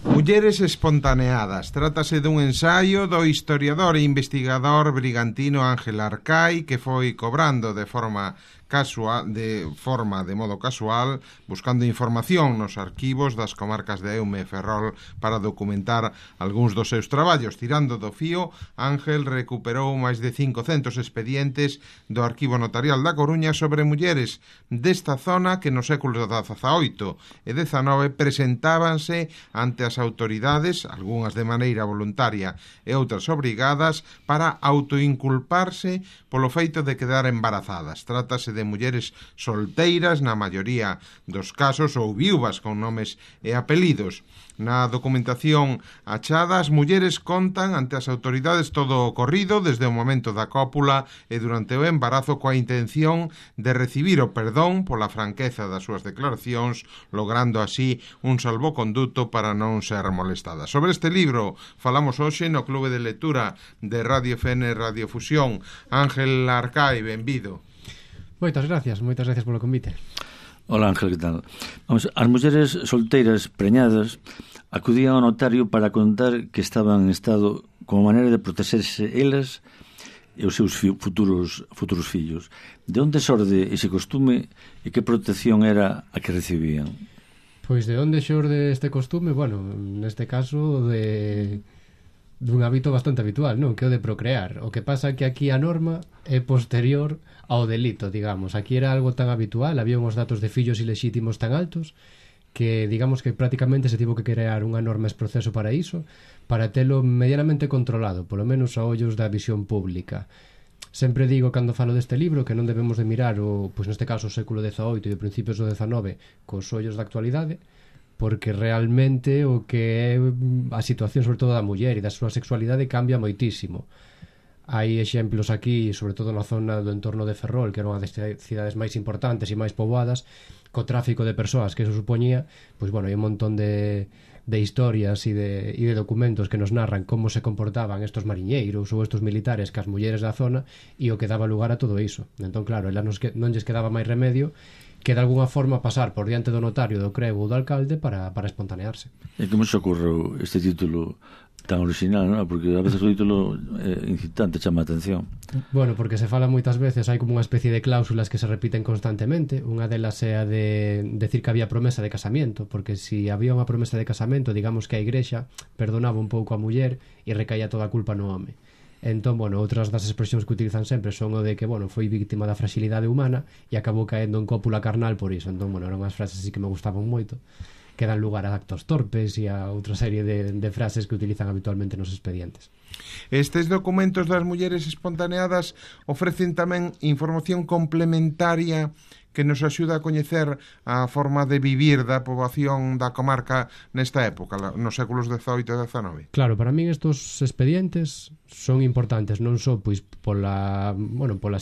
Mulleres espontaneadas. Trátase dun ensaio do historiador e investigador brigantino Ángel Arcai, que foi cobrando de modo casual, buscando información nos arquivos das comarcas de Eume e Ferrol para documentar algúns dos seus traballos. Tirando do fío, Ángel recuperou máis de 500 expedientes do Arquivo Notarial da Coruña sobre mulleres desta zona que nos séculos XVIII e XIX presentábanse ante as autoridades, algunhas de maneira voluntaria e outras obrigadas, para autoinculparse polo feito de quedar embarazadas. Trátase de mulleres solteiras, na maioría dos casos, ou viúvas con nomes e apelidos. Na documentación achada, as mulleres contan ante as autoridades todo o ocorrido desde o momento da cópula e durante o embarazo, coa intención de recibir o perdón pola franqueza das súas declaracións, logrando así un salvoconduto para non ser molestadas. Sobre este libro falamos hoxe no Clube de Lectura de Radio FN Radiofusión. Ángel Arcai, benvido. Moitas gracias polo convite. Hola Ángel, que tal? Vamos, as mulleres solteiras preñadas acudían ao notario para contar que estaban en estado como maneira de protexerse elas e os seus futuros fillos. De onde xorde ese costume e que protección era a que recibían? Pois de onde xorde este costume? Bueno, neste caso dun hábito bastante habitual, non? Que o de procrear. O que pasa é que aquí a norma é posterior ao delito, digamos. Aquí era algo tan habitual, había uns datos de fillos ilexítimos tan altos que, digamos, que prácticamente se tivo que crear unha norma ex proceso para iso, para telo medianamente controlado, polo menos a ollos da visión pública. Sempre digo, cando falo deste libro, que non debemos de mirar pois neste caso o século XVIII e os principios do XIX cos ollos da actualidade, porque realmente o que é a situación sobre todo da muller e da súa sexualidade cambia moitísimo. Hai exemplos aquí, sobre todo na zona do entorno de Ferrol, que era unha das cidades máis importantes e máis poboadas, co tráfico de persoas que eso supoñía, pois bueno, hai un montón de historias e de documentos que nos narran como se comportaban estos mariñeiros ou estos militares cas mulleres da zona e o que daba lugar a todo iso. Entón, claro, elas non lles quedaba máis remedio que de alguna forma pasar por diante do notario, do crego ou do alcalde para espontanearse. E como se ocorreu este título tan original, non? Porque a veces o título incitante chama a atención. Bueno, porque se fala moitas veces, hai como unha especie de cláusulas que se repiten constantemente. Unha delas é a de decir que había promesa de casamento, porque si había unha promesa de casamento, digamos que a igrexa perdonaba un pouco a muller e recaía toda a culpa no home. Entón, bueno, outras das expresións que utilizan sempre son o de que, bueno, foi víctima da fragilidade humana e acabou caendo en cópula carnal por iso. Entón, bueno, eran unhas frases así que me gustaban moito, que dan lugar a actos torpes e a outra serie de frases que utilizan habitualmente nos expedientes. Estes documentos das mulleres espontaneadas ofrecen tamén información complementaria que nos axuda a coñecer a forma de vivir da poboación da comarca nesta época, nos séculos XVIII e XIX. Claro, para min estos expedientes son importantes non só pois pola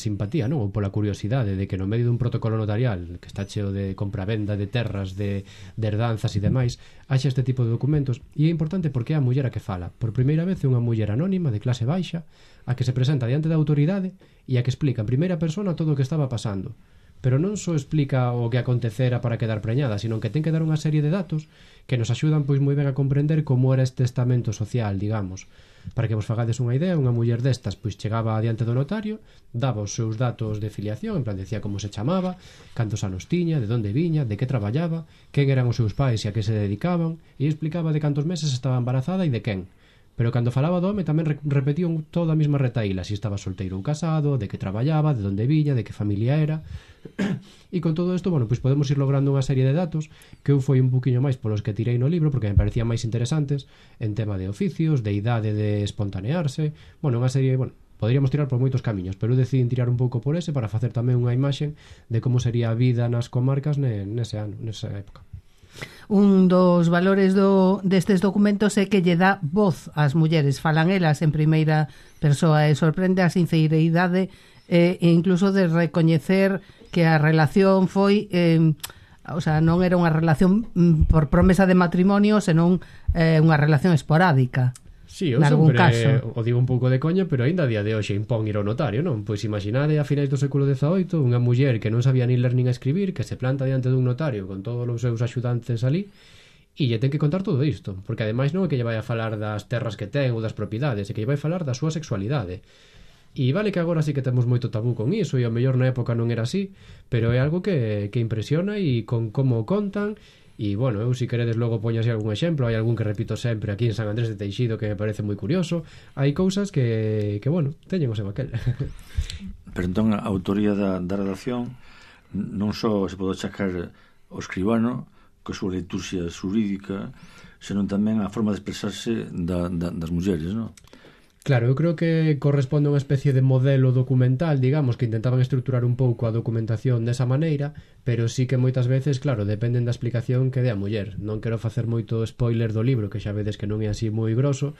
simpatía, non, ou pola curiosidade de que no medio dun protocolo notarial que está cheo de compra-venda de terras, de herdanzas e demais, haxa este tipo de documentos. E é importante porque é a muller a que fala. Por primeira vez é unha muller anónima de clase baixa a que se presenta diante da autoridade e a que explica en primeira persona todo o que estaba pasando. Pero non só explica o que acontecera para quedar preñada, sino que ten que dar unha serie de datos que nos axudan pois moi ben a comprender como era este estamento social, digamos. Para que vos fagades unha idea, unha muller destas pois chegaba diante do notario, daba os seus datos de filiación, en plan decía como se chamaba, cantos anos tiña, de onde viña, de que traballaba, quen eran os seus pais e a que se dedicaban, e explicaba de cantos meses estaba embarazada e de quen. Pero cando falaba do home tamén repetían toda a mesma retaíla, se estaba solteiro ou casado, de que traballaba, de onde viña, de que familia era. E con todo isto, bueno, pois podemos ir logrando unha serie de datos que eu foi un poquinho máis polos que tirei no libro porque me parecían máis interesantes en tema de oficios, de idade de espontanearse, bueno, unha serie, bueno, poderíamos tirar por moitos camiños, pero eu decidín tirar un pouco por ese para facer tamén unha imaxe de como sería a vida nas comarcas nesa época. Un dos valores destes documentos é que lle dá voz ás mulleres, falan elas en primeira persoa e sorprende a sinceridade e incluso de recoñecer que a relación foi non era unha relación por promesa de matrimonio, senón unha relación esporádica. Sí, eu sempre o digo un pouco de coña, pero aínda a día de hoxe impón ir ao notario, non? Pois imaginade a finais do século XVIII unha muller que non sabía nin ler nin escribir, que se planta diante dun notario con todos os seus axudantes ali e lle ten que contar todo isto, porque ademais non é que lle vai a falar das terras que ten ou das propiedades, é que lle vai falar da súa sexualidade. E vale que agora sí que temos moito tabú con iso, e ao mellor na época non era así, pero é algo que impresiona, e con como contan. E, bueno, eu se queredes logo poño así algún exemplo, hai algún que repito sempre aquí en San Andrés de Teixido que me parece moi curioso, hai cousas que bueno, teñen o seu aquel. Pero entón a autoría da redacción non só se pode achacar ao escribano coa súa liturxia xurídica, senón tamén a forma de expresarse das mulleres, non? Claro, eu creo que corresponde a unha especie de modelo documental, digamos, que intentaban estruturar un pouco a documentación desa maneira, pero sí que moitas veces, claro, dependen da explicación que dé a muller. Non quero facer moito spoiler do libro, que xa vedes que non é así moi grosso,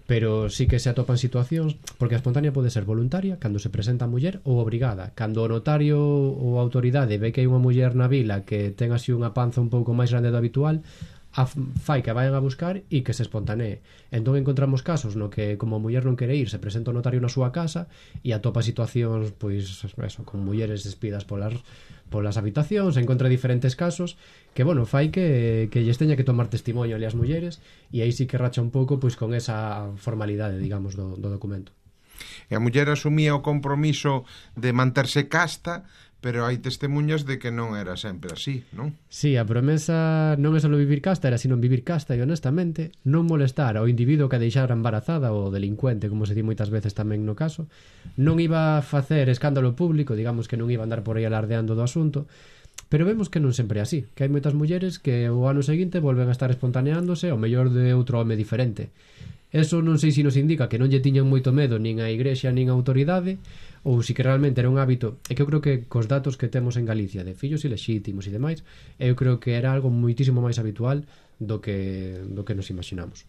pero sí que se atopan situacións, porque a espontánea pode ser voluntaria cando se presenta a muller ou obrigada. Cando o notario ou a autoridade ve que hai unha muller na vila que ten así unha panza un pouco máis grande do habitual, fai que vayan a buscar e que se espontanee. Entón encontramos casos no que como a muller non quere ir, se presenta o notario na súa casa e atopa situacións, pois eso, con mulleres despidas polas habitacións, encontra diferentes casos que, bueno, fai que lles teña que tomar testimonio ali as mulleres, e aí sí que racha un pouco pois con esa formalidade, digamos, do documento. E a muller asumía o compromiso de manterse casta, pero hai testemunhas de que non era sempre así, non? Sí, a promesa non é só vivir casta, era sino vivir casta e honestamente non molestar ao individuo que a deixara embarazada ou delincuente, como se di moitas veces tamén no caso. Non iba a facer escándalo público, digamos que non iba a andar por aí alardeando do asunto, pero vemos que non sempre é así, que hai moitas mulleres que o ano seguinte volven a estar espontaneándose ao mellor de outro home diferente. Eso non sei se nos indica que non lle tiñan moito medo nin a igrexa nin a autoridade, ou si que realmente era un hábito. É que eu creo que cos datos que temos en Galicia de fillos ilexítimos e demais, eu creo que era algo moitísimo máis habitual do que nos imaginamos.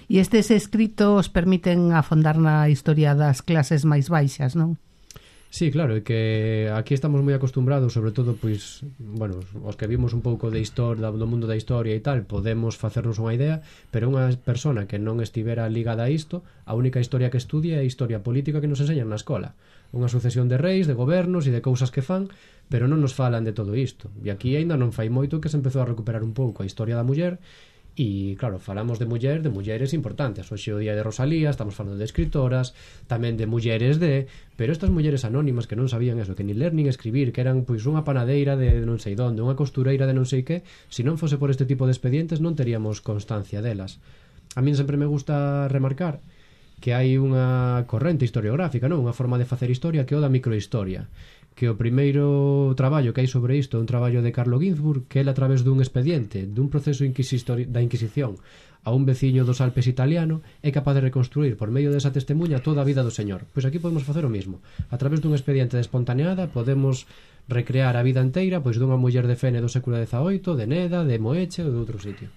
E estes escritos permiten afondar na historia das clases máis baixas, non? Sí, claro, é que aquí estamos moi acostumbrados, sobre todo, pois, bueno, os que vimos un pouco de historia, do mundo da historia e tal, podemos facernos unha idea, pero unha persona que non estivera ligada a isto, a única historia que estudia é a historia política que nos enseñan na escola. Unha sucesión de reis, de gobernos e de cousas que fan, pero non nos falan de todo isto. E aquí aínda non fai moito que se empezou a recuperar un pouco a historia da muller. E, claro, falamos de mulleres importantes. Hoxe o día de Rosalía, estamos falando de escritoras, tamén de mulleres pero estas mulleres anónimas que non sabían eso, que ni ler nin escribir, que eran pois unha panadeira de non sei donde, unha costureira de non sei que, se non fose por este tipo de expedientes non teríamos constancia delas. A min sempre me gusta remarcar que hai unha corrente historiográfica, non? Unha forma de facer historia que é o da microhistoria, que o primeiro traballo que hai sobre isto é un traballo de Carlo Ginzburg, que ele a través dun expediente, dun proceso da Inquisición a un veciño dos Alpes italiano, é capaz de reconstruir por medio desa testemunha toda a vida do señor. Pois aquí podemos facer o mismo. A través dun expediente de espontaneada podemos recrear a vida inteira pois dunha muller de Fene do século XVIII, de Neda, de Moeche ou de outro sitio.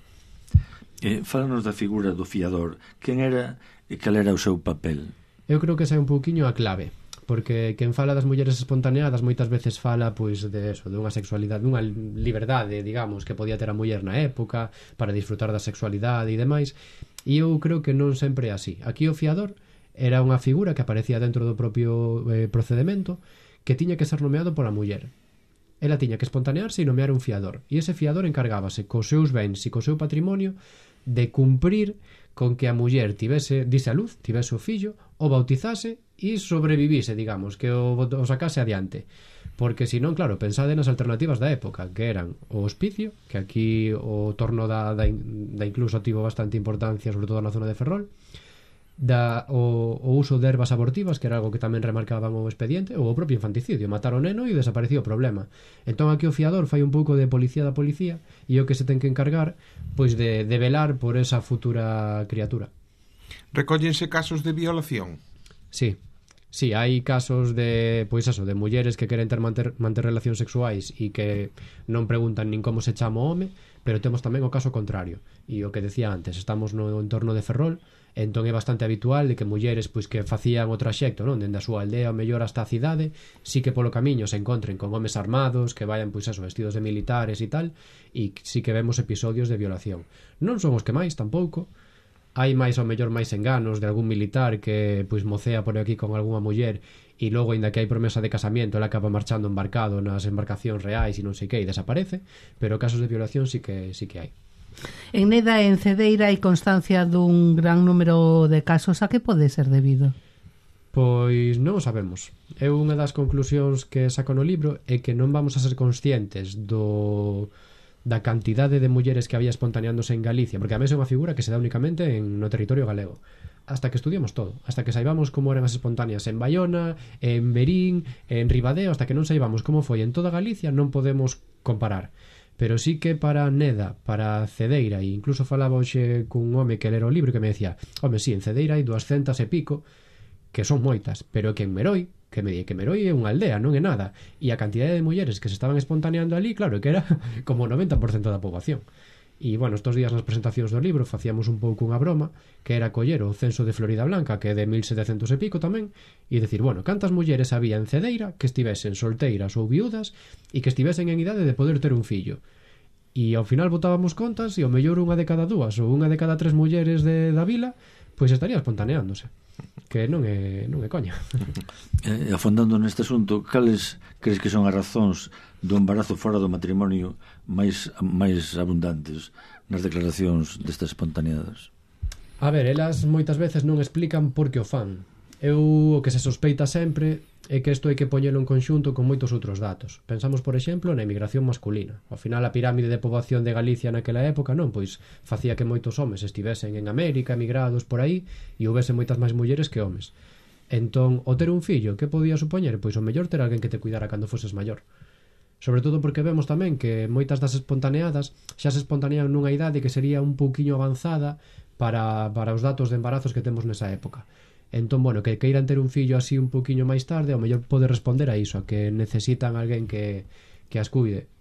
Fálanos da figura do fiador. Quen era e cal era o seu papel? Eu creo que esa é un pouquiño a clave, porque quen fala das mulleres espontaneadas moitas veces fala pois de eso, de unha sexualidade, dunha liberdade, digamos, que podía ter a muller na época para disfrutar da sexualidade e demais, e eu creo que non sempre é así. Aquí o fiador era unha figura que aparecía dentro do propio procedemento, que tiña que ser nomeado pola muller. Ela tiña que espontanearse e nomear un fiador, e ese fiador encargábase cos seus bens e co seu patrimonio de cumprir con que a muller tivese, dise a luz, tivese o fillo, o bautizase e sobrevivise, digamos, que o sacase adiante. Porque senón, claro, pensade nas alternativas da época, que eran o hospicio, que aquí o torno da incluso tivo bastante importancia, sobre todo na zona de Ferrol, o uso de ervas abortivas, que era algo que tamén remarcaban o expediente, ou o propio infanticidio, matar o neno e desaparecía o problema. Entón aquí o fiador fai un pouco de policía da policía e o que se ten que encargar pois de velar por esa futura criatura. Recóllense casos de violación? Sí, hai casos de, pois eso, de mulleres que queren manter relacións sexuais e que non preguntan nin como se chama o home, pero temos tamén o caso contrario. E o que decía antes, estamos no entorno de Ferrol, entón é bastante habitual de que mulleres pois que facían o traxecto, non, dende a súa aldea ou mellor hasta a cidade, sí que polo camiño se encontren con homes armados que vayan pois eso, vestidos de militares e tal, e sí que vemos episodios de violación. Non son os que máis tampouco. Hai máis ou mellor máis enganos de algún militar que pois mocea por aquí con algunha muller e logo, ainda que hai promesa de casamiento, ela acaba marchando embarcado nas embarcacións reais e non sei que, e desaparece, pero casos de violación sí que hai. En Neda e en Cedeira hai constancia dun gran número de casos. A que pode ser debido? Pois non o sabemos. É unha das conclusións que saco no libro é que non vamos a ser conscientes da cantidade de mulleres que había espontaneándose en Galicia, porque a mesa é unha figura que se dá únicamente no territorio galego. Hasta que estudiemos todo, hasta que saibamos como eran as espontáneas en Baiona, en Verín, en Ribadeo, hasta que non saibamos como foi en toda Galicia, non podemos comparar. Pero sí que para Neda, para Cedeira, e incluso falaba hoxe cun home que lera o libro que me decía, home, sí, en Cedeira hai 200 e pico, que son moitas, pero que en Meroi, que me di que Meroi é unha aldea, non é nada, e a cantidade de mulleres que se estaban espontaneando ali, claro, que era como o 90% da poboación. E, bueno, estos días nas presentacións do libro facíamos un pouco unha broma, que era coller o censo de Florida Blanca, que é de 1700 e pico tamén, e decir, bueno, cantas mulleres había en Cedeira que estivesen solteiras ou viudas e que estivesen en idade de poder ter un fillo. E ao final botábamos contas e ao mellor unha de cada dúas ou unha de cada 3 mulleres da vila pois estaría espontaneándose, que non é coña. Afondando neste asunto, cales crees que son as razóns do embarazo fora do matrimonio máis abundantes nas declaracións destas espontaneadas? A ver, elas moitas veces non explican por que o fan. O que se sospeita sempre é que isto hai que poñelo en conxunto con moitos outros datos. Pensamos, por exemplo, na emigración masculina. Ao final, a pirámide de poboación de Galicia naquela época non, pois facía que moitos homes estivesen en América, emigrados por aí, e houvese moitas máis mulleres que homes. Entón, o ter un fillo, que podía supoñer? Pois o mellor ter alguén que te cuidara cando foses maior. Sobre todo porque vemos tamén que moitas das espontaneadas xa se espontanean nunha idade que sería un pouquiño avanzada para os datos de embarazos que temos nesa época. Entón, bueno, que queiran ter un fillo así un pouquiño máis tarde, ao mellor pode responder a iso, a que necesitan alguén que as cuide.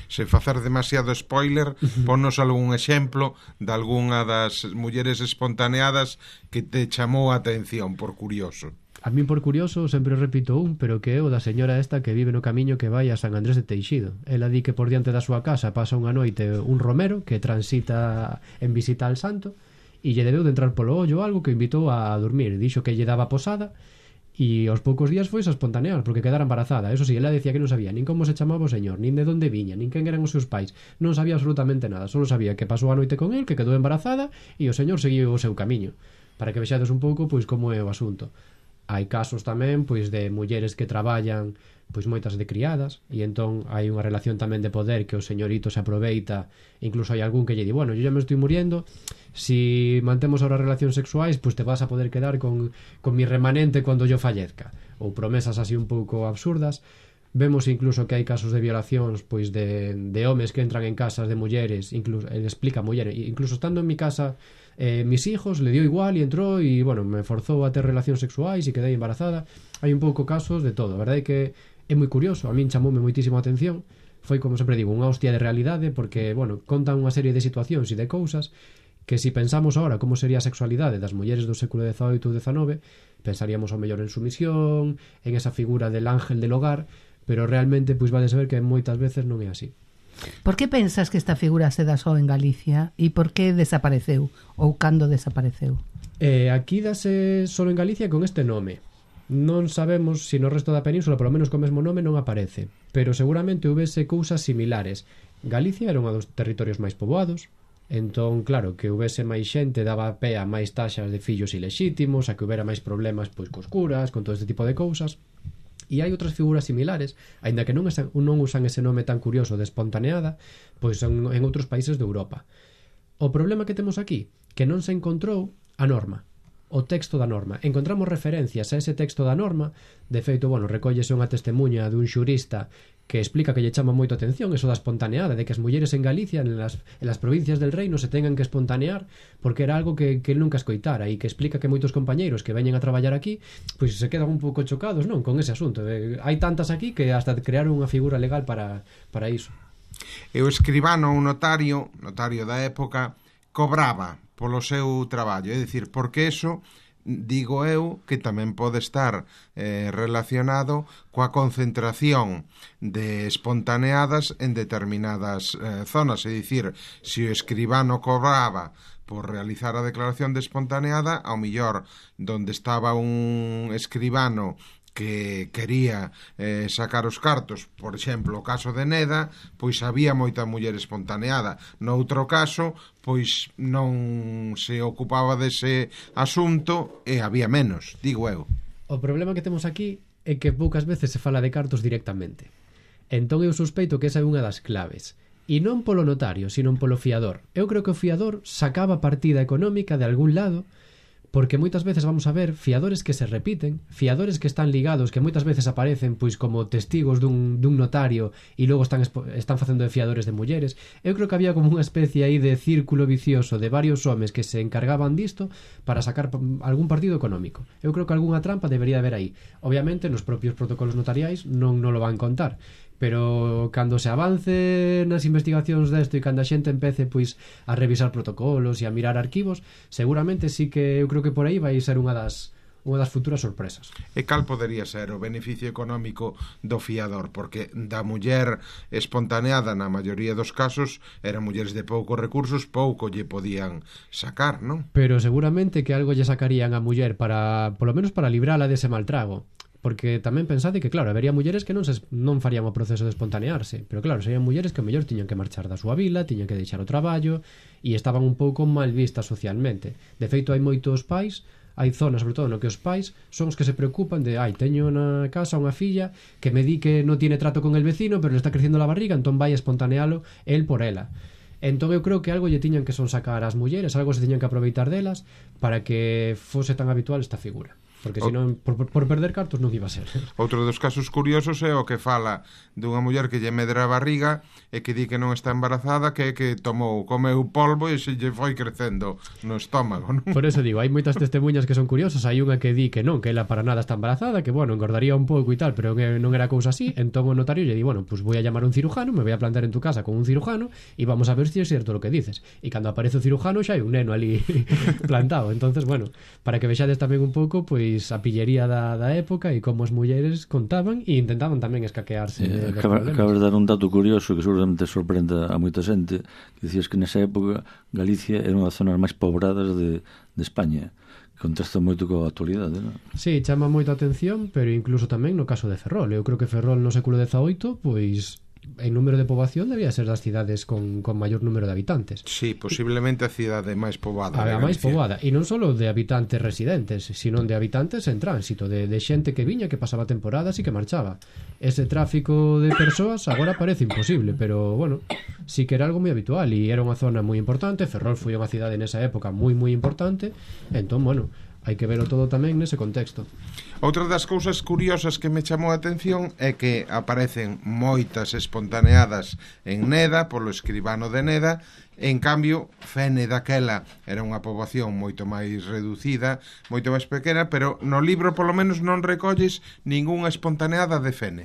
Se facer demasiado spoiler, ponnos algún exemplo de algunha das mulleres espontaneadas que te chamou a atención, por curioso. A min, por curioso, sempre repito pero que é o da señora esta que vive no camiño que vai a San Andrés de Teixido. Ela di que por diante da súa casa pasa unha noite un romero que transita en visita al santo, e lle debeu de entrar polo ollo algo que o invitou a dormir. Dixo que lle daba posada e aos poucos días foi a espontanear porque quedara embarazada. Eso sí, ela decía que non sabía nin como se chamaba o señor, nin de onde viña, nin quen eran os seus pais. Non sabía absolutamente nada, só sabía que pasou a noite con el, que quedou embarazada e o señor seguiu o seu camiño. Para que vexades un pouco pois como é o asunto. Hai casos tamén pois de mulleres que traballan pois moitas de criadas e entón hai unha relación tamén de poder que o señorito se aproveita. Incluso hai algún que lle di, bueno, yo ya me estoy muriendo, si mantemos ahora relacións sexuais pues te vas a poder quedar con mi remanente cuando yo fallezca, ou promesas así un pouco absurdas. Vemos incluso que hai casos de violacións pois de homes que entran en casas de mulleres, incluso ele explica a muller, incluso estando en mi casa mis hijos le dio igual e entrou e bueno, me forzou a ter relacións sexuais e quedei embarazada. Hai un pouco casos de todo. A verdade é que é moi curioso, a min chamoume moitísimo a atención. Foi, como sempre digo, unha hostia de realidade porque, bueno, contan unha serie de situacións e de cousas que si pensamos ahora como sería a sexualidade das mulleres do século XVIII ou XIX, pensaríamos ao mellor en sumisión, en esa figura del ángel del hogar, pero realmente pois vade saber que moitas veces non é así. Por que pensas que esta figura se dá só en Galicia e por que desapareceu ou cando desapareceu? Aquí dase só en Galicia con este nome. Non sabemos se no resto da península, polo menos co mesmo nome, non aparece, pero seguramente houvese cousas similares. Galicia era un dos territorios máis poboados, entón, claro, que houvese máis xente daba pé a máis taxas de fillos ilexítimos, a que houbera máis problemas pois cos curas, con todo este tipo de cousas. E hai outras figuras similares, aínda que non usan ese nome tan curioso de espontaneada, pois en outros países de Europa. O problema que temos aquí, que non se encontrou a norma, o texto da norma. Encontramos referencias a ese texto da norma. De feito, bueno, recóllese unha testemunha dun xurista que explica que lle chama moito a atención eso da espontaneada, de que as mulleres en Galicia, en las provincias del reino, se tengan que espontanear porque era algo que él nunca escoitara, e que explica que moitos compañeiros que veñen a traballar aquí pois se quedan un pouco chocados, non, con ese asunto. Hai tantas aquí que hasta crearon unha figura legal para iso. E o escribano ou notario da época, cobraba polo seu traballo, é dicir, porque eso, digo eu, que tamén pode estar relacionado coa concentración de espontaneadas en determinadas zonas, é dicir, se o escribano cobraba por realizar a declaración de espontaneada, ao millor donde estaba un escribano que quería sacar os cartos, por exemplo, o caso de Neda, pois había moita muller espontaneada. Noutro caso, pois non se ocupaba dese asunto e había menos, digo eu. O problema que temos aquí é que poucas veces se fala de cartos directamente. Entón eu sospeito que esa é unha das claves. E non polo notario, sino polo fiador. Eu creo que o fiador sacaba partida económica de algún lado, porque moitas veces vamos a ver fiadores que se repiten, fiadores que están ligados, que moitas veces aparecen pois como testigos dun notario e logo están facendo de fiadores de mulleres. Eu creo que había como unha especie aí de círculo vicioso de varios homes que se encargaban disto para sacar algún partido económico. Eu creo que algunha trampa debería haber aí. Obviamente nos propios protocolos notariais non lo van contar, pero cando se avance nas investigacións desto e cando a xente empece pois a revisar protocolos e a mirar arquivos, seguramente sí que eu creo que por aí vai ser unha das futuras sorpresas. E cal podería ser o beneficio económico do fiador? Porque da muller espontaneada na maioría dos casos eran mulleres de poucos recursos, pouco lle podían sacar, non? Pero seguramente que algo lle sacarían a muller para, polo menos para librala dese mal trago. Porque tamén pensade que, claro, habería mulleres que non farían o proceso de espontanearse, pero claro, serían mulleres que mellor tiñan que marchar da súa vila, tiñan que deixar o traballo e estaban un pouco mal vistas socialmente. De feito, hai moitos pais, hai zonas, sobre todo, no que os pais son os que se preocupan de teño na casa unha filla que me di que non tiene trato con el vecino, pero le está creciendo la barriga, entón vai a espontanealo el por ela. Entón eu creo que algo lle tiñan que son sacar as mulleres, algo se tiñan que aproveitar delas para que fose tan habitual esta figura. Porque senón, por perder cartos non iba a ser. Outro dos casos curiosos é o que fala dunha muller que lle medra a barriga e que di que non está embarazada, que comeu polvo e se lle foi crecendo no estómago, non? Por eso digo, hai moitas testemunhas que son curiosas. Hai unha que di que non, que ela para nada está embarazada, que bueno, engordaría un pouco e tal, pero non era cousa así. Entón o notario lle di, bueno, pues voy a llamar a un cirujano, me voy a plantar en tu casa con un cirujano e vamos a ver si es cierto lo que dices. E cando aparece o cirujano xa hai un neno ali plantado. Entonces, bueno, para que vexades tamén un pouco, pois a pillería da época e como as mulleres contaban e intentaban tamén escaquearse Acabas de dar un dato curioso que seguramente sorprenda a moita xente, que dicías que nesa época Galicia era unha das zonas máis pobradas de España, que contrasta moito coa actualidade, non? Sí, chama moito a atención, pero incluso tamén no caso de Ferrol. Eu creo que Ferrol no século XVIII, pois en número de poboación debía ser das cidades con maior número de habitantes. Sí, posiblemente a cidade máis poboada. A máis poboada, e non só de habitantes residentes, sino de habitantes en tránsito, de xente que viña, que pasaba temporadas e que marchaba. Ese tráfico de persoas agora parece imposible, pero, bueno, sí que era algo moi habitual e era unha zona moi importante. Ferrol foi unha cidade nesa época moi importante, entón, bueno, hai que verlo todo tamén nese contexto. Outra das cousas curiosas que me chamou a atención é que aparecen moitas espontaneadas en Neda, polo escribano de Neda. En cambio, Fene daquela era unha poboación moito máis reducida, moito máis pequena, pero no libro polo menos non recolles ningunha espontaneada de Fene.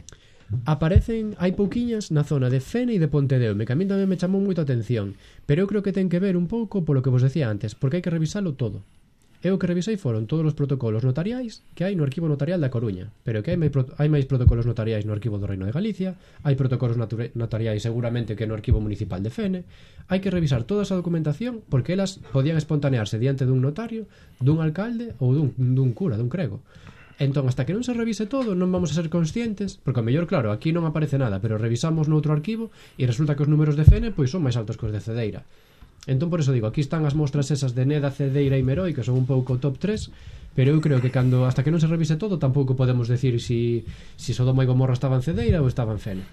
Aparecen, hai pouquiñas na zona de Fene e de Pontedeume, que a mí tamén me chamou moito a atención, pero eu creo que ten que ver un pouco polo que vos decía antes, porque hai que revisalo todo. Eu que revisei foron todos os protocolos notariais que hai no Arquivo Notarial da Coruña, pero que hai máis protocolos notariais no Arquivo do Reino de Galicia, hai protocolos notariais seguramente que no Arquivo Municipal de Fene. Hai que revisar toda esa documentación porque elas podían espontanearse diante dun notario, dun alcalde ou dun cura, dun crego. Entón, hasta que non se revise todo, non vamos a ser conscientes, porque ao mellor, claro, aquí non aparece nada, pero revisamos noutro arquivo e resulta que os números de Fene pois son máis altos que os de Cedeira. Entón, por eso digo, aquí están as mostras esas de Neda, Cedeira e Meroi, que son un pouco top 3, pero eu creo que hasta que non se revise todo tampouco podemos decir si Sodoma e Gomorra estaban Cedeira ou estaban Fene.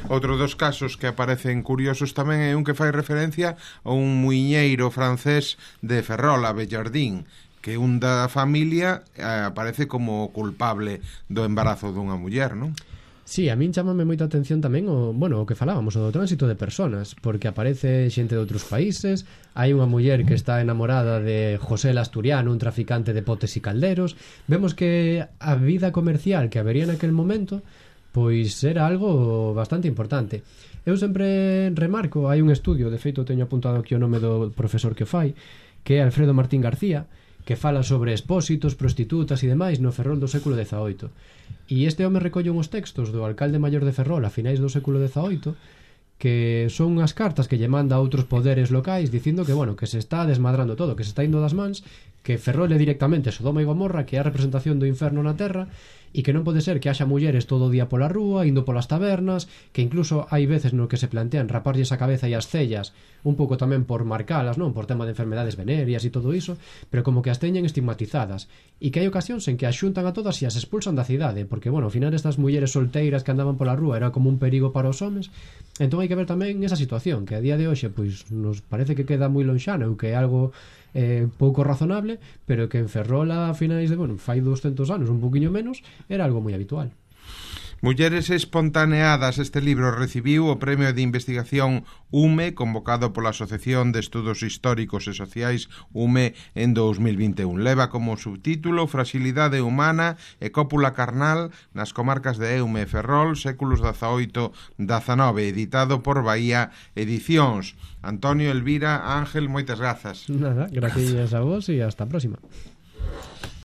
Outro dos casos que aparecen curiosos tamén é un que fai referencia a un muiñeiro francés de Ferrol, a Bellardín, que un da familia aparece como culpable do embarazo dunha muller, non? Sí, a min chamame moita atención tamén o que falábamos, o do tránsito de personas, porque aparece xente de outros países. Hai unha muller que está enamorada de José el Asturiano, un traficante de potes e calderos. Vemos que a vida comercial que habería naquel momento pois era algo bastante importante. Eu sempre remarco, hai un estudio, de feito teño apuntado aquí o nome do profesor que fai, que é Alfredo Martín García, que fala sobre expósitos, prostitutas e demais no Ferrol do século XVIII. E este home recolle uns textos do alcalde maior de Ferrol a finais do século XVIII que son unhas cartas que lle manda a outros poderes locais dicindo que, bueno, que se está desmadrando todo, que se está indo das mans, que Ferrol é directamente Sodoma e Gomorra, que é a representación do inferno na terra, e que non pode ser que haxa mulleres todo o día pola rúa, indo polas tabernas, que incluso hai veces no que se plantean raparlles a cabeza e as cellas, un pouco tamén por marcalas, non, por tema de enfermedades venéreas e todo iso, pero como que as teñen estigmatizadas, e que hai ocasións en que as xuntan a todas e as expulsan da cidade, porque, bueno, ao final estas mulleres solteiras que andaban pola rúa era como un perigo para os homes. Entón hai que ver tamén esa situación, que a día de hoxe pois nos parece que queda moi lonxana ou que é algo pouco razonable, pero que en Ferrol a finais de, bueno, fai 200 anos, un poquinho menos, era algo moi habitual. Mulleres espontaneadas, este libro recibiu o Premio de Investigación UME, convocado pola Asociación de Estudos Históricos e Sociais UME en 2021. Leva como subtítulo Fragilidade humana e cópula carnal nas comarcas de Eume e Ferrol, séculos XVIII-XIX, editado por Bahía Edicións. Antonio, Elvira, Ángel, moitas grazas. Nada, gracias a vos e hasta a próxima.